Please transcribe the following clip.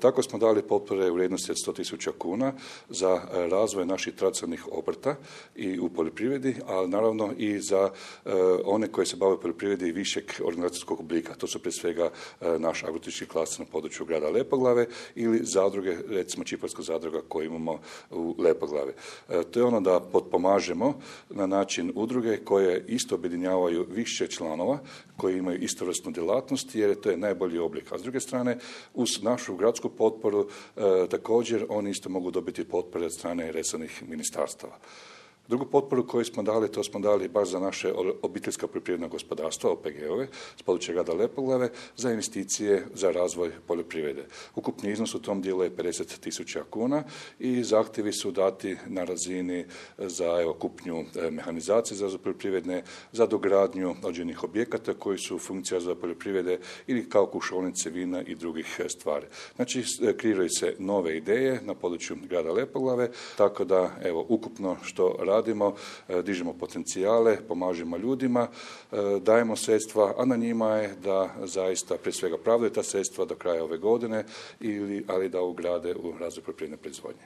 Tako smo dali potpore u vrijednosti od 100.000 kuna za razvoj naših tradicionalnih obrta i u poljoprivredi, ali naravno i za one koji se bave poljoprivredi višeg organizacijskog oblika. To su prije svega naš agroturistički klaster na području grada Lepoglave ili zadruge, recimo Čiparska zadruga koju imamo u Lepoglavi. To je ono da potpomažemo na način udruge koje isto objedinjavaju više članova koji imaju istovrsnu djelatnost jer to je najbolji oblik. A s druge strane, uz našu gradsku potporu također oni isto mogu dobiti potpore od strane resornih ministarstava. Drugu potporu koju smo dali, to smo dali baš za naše obiteljska poljoprivredna gospodarstva, OPG-ove, s područja grada Lepoglave, za investicije za razvoj poljoprivrede. Ukupni iznos u tom dijelu je 50.000 kuna i zahtjevi su dati na razini za kupnju mehanizacije za poljoprivredne, za dogradnju određenih objekata koji su funkcija za poljoprivrede ili kao kušaonice vina i drugih stvari. Znači, kreiraju se nove ideje na području grada Lepoglave, tako da ukupno što radimo, dižemo potencijale, pomažemo ljudima, dajemo sredstva, a na njima je da zaista prije svega pravdaju ta sredstva do kraja ove godine, ali da ugrade u razvoj poljoprivredne proizvodnje.